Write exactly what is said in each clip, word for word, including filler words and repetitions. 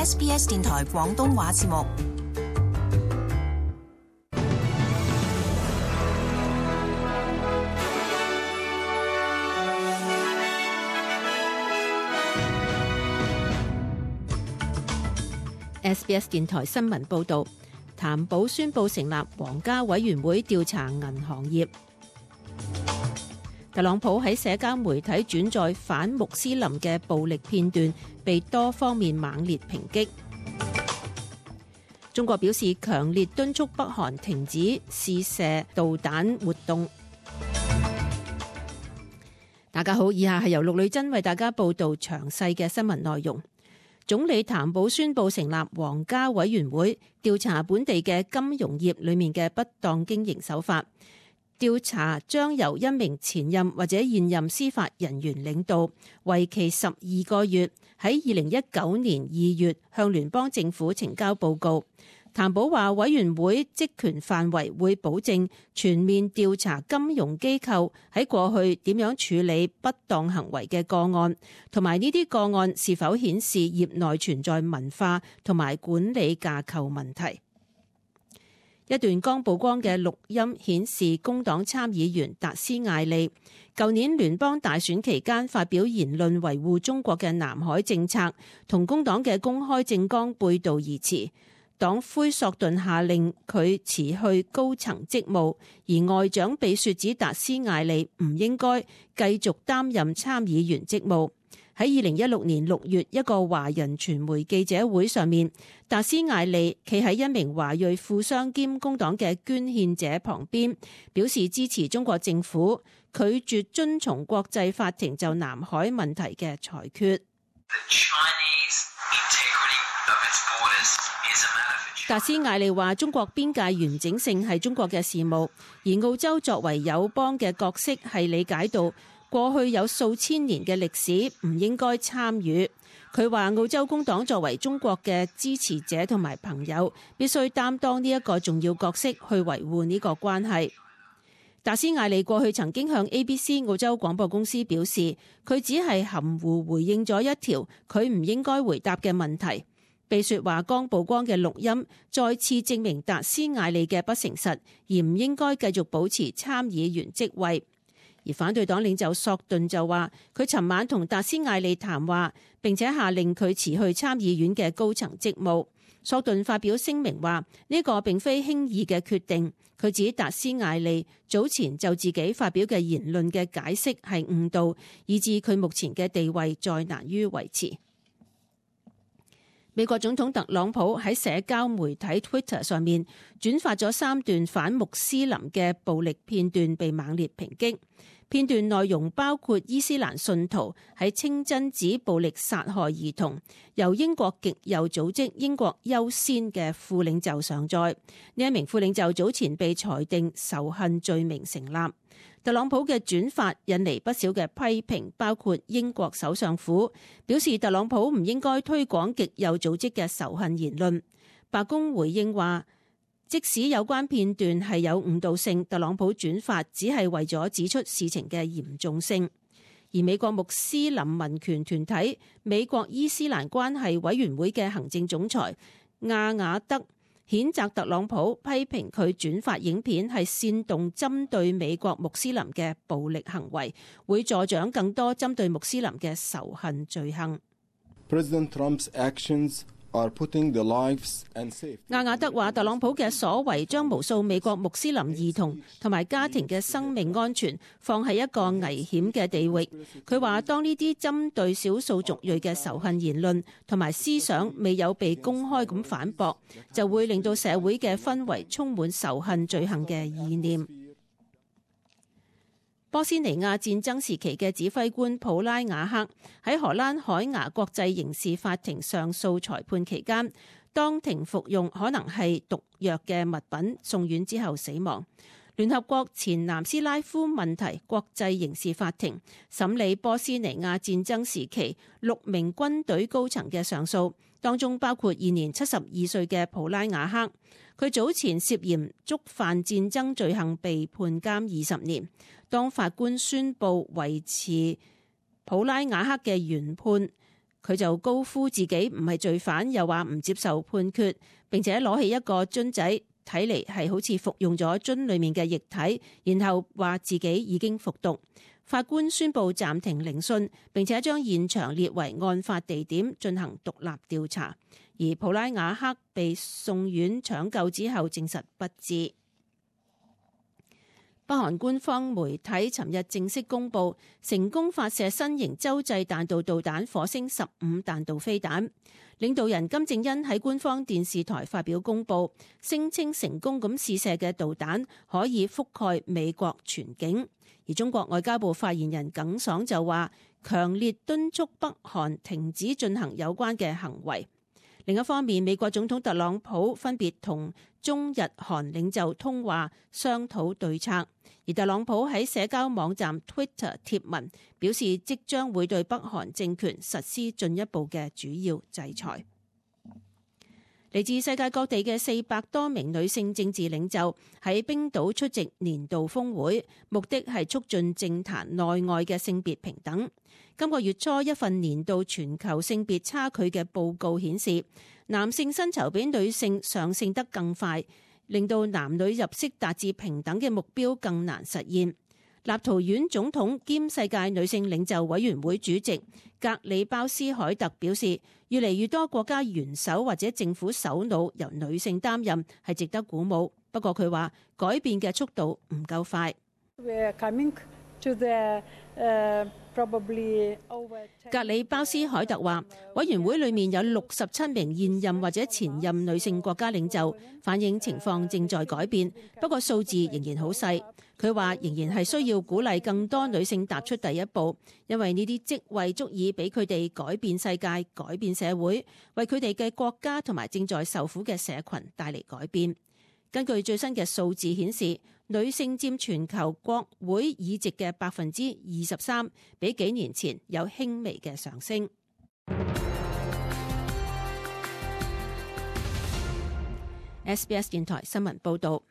S B S 電台廣東話節目。S B S 電台新聞報導，譚寶宣布成立皇家委員會調查銀行業。特朗普喺社交媒體轉載反穆斯林嘅暴力片段，被多方面猛烈抨擊。中國表示強烈敦促北韓停止試射導彈活動。大家好，以下係由陸女珍為大家報道詳細嘅新聞內容。總理譚寶宣布成立皇家委員會，調查本地嘅金融業裏面嘅不當經營手法。調查將由一名前任或者現任司法人員領導，為期十二個月，喺二零一九年二月向聯邦政府呈交報告。譚寶話，委員會職權範圍會保證全面調查金融機構喺過去點樣處理不當行為嘅個案，同埋呢啲個案是否顯示業內存在文化同埋管理架構問題。一段剛曝光嘅錄音顯示，工黨參議員達斯艾利舊年聯邦大選期間發表言論維護中國嘅南海政策，同工黨嘅公開政綱背道而馳。黨魁索頓下令佢辭去高層職務，而外長比雪指達斯艾利唔應該繼續擔任參議員職務。喺二零一六年六月一個華人傳媒記者會上面，達斯艾利企喺一名華裔富商兼工黨嘅捐獻者旁邊，表示支持中國政府拒絕遵從國際法庭就南海問題嘅裁決。達斯艾利話，中國邊界完整性係中國嘅事務，而澳洲作為友邦嘅角色係理解到過去有數千年嘅歷史，唔應該參與。佢話澳洲工黨作為中國嘅支持者同埋朋友，必須擔當呢一個重要角色去維護呢個關係。達斯艾利過去曾經向 A B C 澳洲廣播公司表示，佢只係含糊回應咗一條佢唔應該回答嘅問題。被說話剛曝光嘅錄音再次證明達斯艾利嘅不誠實，而唔應該繼續保持參議員職位。而反對黨領袖索頓就話，佢尋晚同達斯艾利談話，並且下令佢辭去參議院嘅高層職務。索頓發表聲明話，呢個並非輕易嘅決定。佢指達斯艾利早前就自己發表嘅言論嘅解釋係誤導，以致佢目前嘅地位再難於維持。美國總統特朗普喺社交媒體 Twitter 上面轉發咗三段反穆斯林嘅暴力片段，被猛烈抨擊。片段內容包括伊斯蘭信徒喺清真寺暴力殺害兒童，由英國極右組織英國優先嘅副領袖上載。呢一名副領袖早前被裁定仇恨罪名成立。特朗普嘅轉發引嚟不少嘅批評，包括英國首相府表示特朗普唔應該推廣極右組織嘅仇恨言論。白宮回應話，即使有關片段係有誤導性，特朗普轉發只係為咗指出事情嘅嚴重性。而美國穆斯林民權團體美國伊斯蘭關係委員會嘅行政總裁亞雅德譴責特朗普，批評佢轉發影片係煽動針對美國穆斯林嘅暴力行為，會助長更多針對穆斯林嘅仇恨罪行。President Trump's actions are putting the lives and safety. 亞雅德話，特朗普嘅所為將無數美國穆斯林兒童同埋家庭嘅生命安全放喺一個危險嘅地域。佢話，當呢啲針對少數族裔嘅仇恨言論同埋思想未有被公開咁反駁，就會令到社會嘅氛圍充滿仇恨罪行嘅意念。波斯尼亞戰爭時期嘅指揮官普拉瓦克喺荷蘭海牙國際刑事法庭上訴裁判期間，當庭服用可能係毒藥嘅物品，送院之後死亡。聯合國前南斯拉夫問題國際刑事法庭審理波斯尼亞戰爭時期六名軍隊高層嘅上訴，當中包括現年七十二歲嘅普拉瓦克。佢早前涉嫌觸犯戰爭罪行被判監二十年。當法官宣布維持普拉瓦克嘅原判，佢就高呼自己唔係罪犯，又話唔接受判決，並且攞起一個樽仔，睇嚟係好似服用咗樽裡面嘅液體，然後話自己已經服毒。法官宣布暫停聆訊，並且將現場列為案發地點進行獨立調查。而普拉瓦克被送院搶救之後證實不治。北韓官方媒體尋日正式公佈，成功發射新型洲際彈道導彈火星十五彈道飛彈。領導人金正恩喺官方電視台發表公佈，聲稱成功咁試射嘅導彈可以覆蓋美國全境。而中國外交部發言人耿爽就話，強烈敦促北韓停止進行有關嘅行為。另一方面，美國總統特朗普分別同中日韓領袖通話，商討對策。而特朗普喺社交網站 Twitter 貼文表示，即將會對北韓政權實施進一步嘅主要制裁。嚟自世界各地嘅四百多名女性政治領袖喺冰島出席年度峰會，目的係促進政壇內外嘅性別平等。今個月初，一份年度全球性別差距嘅報告顯示，男性薪酬比女性上升得更快，令到男女入息達至平等嘅目標更難實現。立陶宛總統兼世界女性領袖委員會主席格里鮑斯凱特表示，越嚟越多國家元首或者政府首腦由女性擔任係值得鼓舞。不過佢話改變嘅速度唔夠快。格里鮑斯凱特話，委員會裏面有六十七名現任或者前任女性國家領袖，反映情況正在改變，不過數字仍然好細。佢話仍然係需要鼓勵更多女性踏出第一步，因為呢啲職位足以俾佢哋改變世界、改變社會，為佢哋嘅國家同埋正在受苦嘅社群帶嚟改變。根據最新嘅數字顯示，女性佔全球國會議席嘅百分之二十三，比幾年前有輕微嘅上升。S B S 電台新聞報導，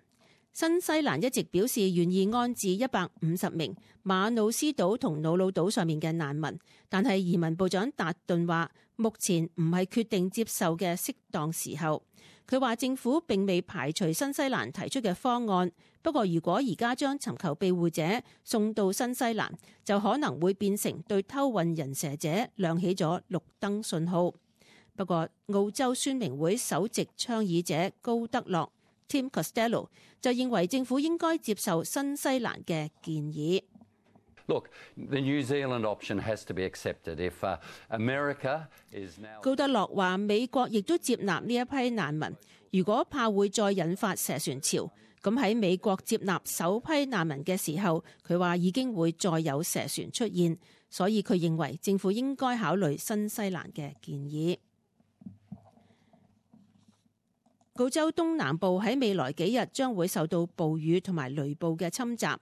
新西蘭一直表示願意安置一百五十名馬努斯島同瑙魯島上面嘅難民，但係移民部長達頓話，目前唔係決定接受嘅適當時候。佢話政府並未排除新西蘭提出嘅方案，不過如果而家將尋求庇護者送到新西蘭，就可能會變成對偷運人蛇者亮起咗綠燈信號。不過澳洲宣明會首席倡議者高德洛 Tim Costello 就認為政府應該接受新西蘭嘅建議。Look, the New Zealand option has to be accepted. If uh, America is now... 高德洛話美國亦都接納呢一批難民，如果怕會再引發蛇船潮，咁喺美國接納首批難民嘅時候，佢話已經會再有蛇船出現，所以佢認為政府應該考慮新西蘭嘅建議。澳洲東南部喺未來幾日將會受到暴雨同埋雷暴嘅侵襲。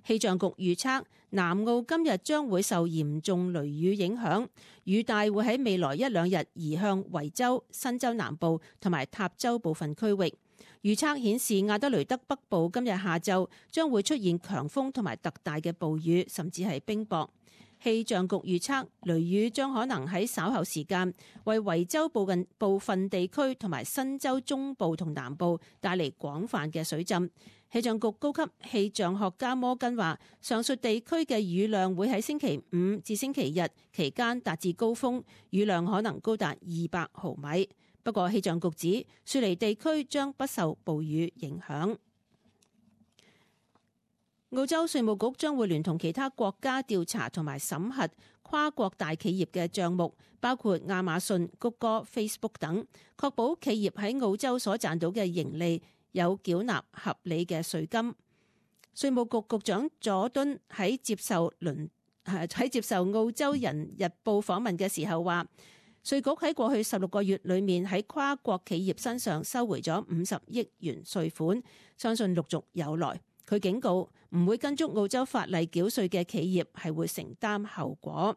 氣象局預測，南澳今日將會受嚴重雷雨影響，雨帶會喺未來一兩日移向維州、新州南部同埋塔州部分區域。預測顯示，亞德雷德北部今日下晝將會出現強風同埋特大嘅暴雨，甚至係冰雹。氣象局預測，雷雨將可能喺稍後時間為維州部近部分地區同埋新州中部同南部帶嚟廣泛嘅水浸。氣象局高級氣象學家摩根話，上述地區嘅雨量會喺星期五至星期日期間達至高峰，雨量可能高達二百毫米。不過氣象局指，雪梨地區將不受暴雨影響。澳洲稅務局將會聯同其他國家調查同埋審核跨國大企業嘅帳目，包括亞馬遜、谷歌、Facebook 等，確保企業喺澳洲所賺到嘅盈利有繳納合理嘅稅金。稅務局局長佐敦喺接受倫喺接受澳洲人日報訪問嘅時候話，稅局喺過去十六個月裏面喺跨國企業身上收回咗五十億元稅款，相信陸續有來。佢警告，唔會跟足澳洲法例繳稅嘅企業係會承擔後果。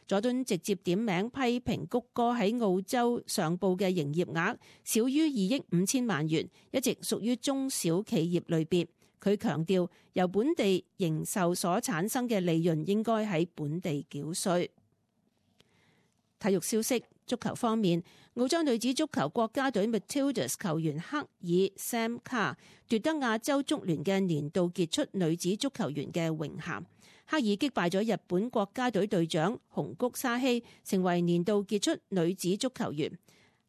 佐敦直接點名批評谷歌喺澳洲上報嘅營業額少於二億五千萬元，一直屬於中小企業類別。佢強調，由本地營售所產生嘅利潤應該喺本地繳稅。體育消息，足球方面，澳洲女子足球國家隊 Matildas 球員克爾 Sam Carr 奪得亞洲足聯嘅年度傑出女子足球員嘅榮銜。克爾擊敗咗日本國家隊隊長紅谷沙希，成為年度傑出女子足球員。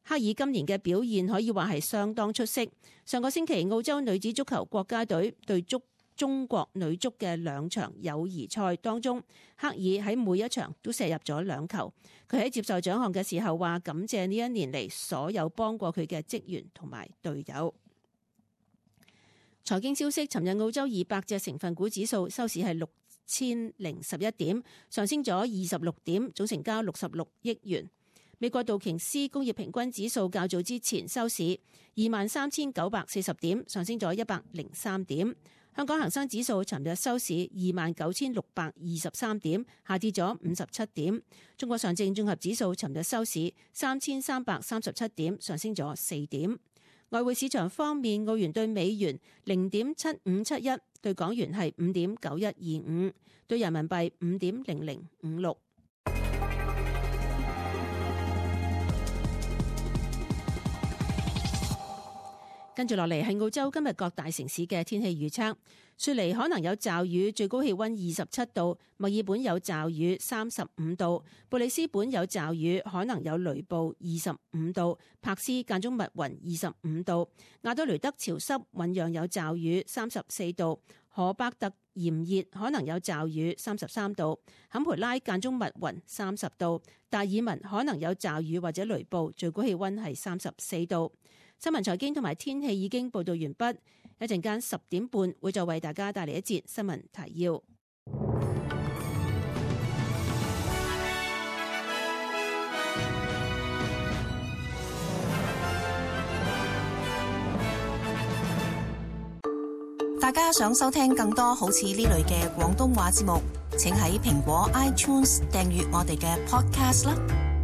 克爾今年嘅表現可以話係相當出色。上個星期澳洲女子足球國家隊對足中國女足嘅兩場友誼賽當中，克爾喺每一場都射入咗兩球。佢喺接受獎項嘅時候話感謝呢一年嚟所有幫過佢嘅職員同埋隊友。財經消息，尋日澳洲二百隻成分股指數收市係六千零十一點，上升咗二十六點，總成交六十六億元。美國道瓊斯工業平均指數較早之前收市二萬三千九百四十點，上升咗一百零三點。香港恒生指數尋日收市二萬九千六百二十三點，下跌咗五十七點。中國上證綜合指數尋日收市三千三百三十七點，上升咗四點。外匯市場方面，澳元對美元零點七五七一，對港元係五點九一二五，對人民幣五點零零五六。跟住落嚟係澳洲今日各大城市嘅天氣預測。雪梨可能有驟雨，最高氣溫二十七度；墨爾本有驟雨，三十五度；布里斯本有驟雨，可能有雷暴，二十五度；柏斯間中密雲，二十五度；亞德雷德潮濕，醞釀有驟雨，三十四度；荷伯特炎熱，可能有驟雨，三十三度；坎培拉間中密雲，三十度；達爾文可能有驟雨或者雷暴，最高氣溫係三十四度。新聞財經同埋天氣已經報道完畢，一陣間十點半會再為大家帶嚟一節新聞提要。大家想收聽更多好似呢類嘅廣東話節目，請喺蘋果 iTunes 訂閱我哋嘅 podcast 啦。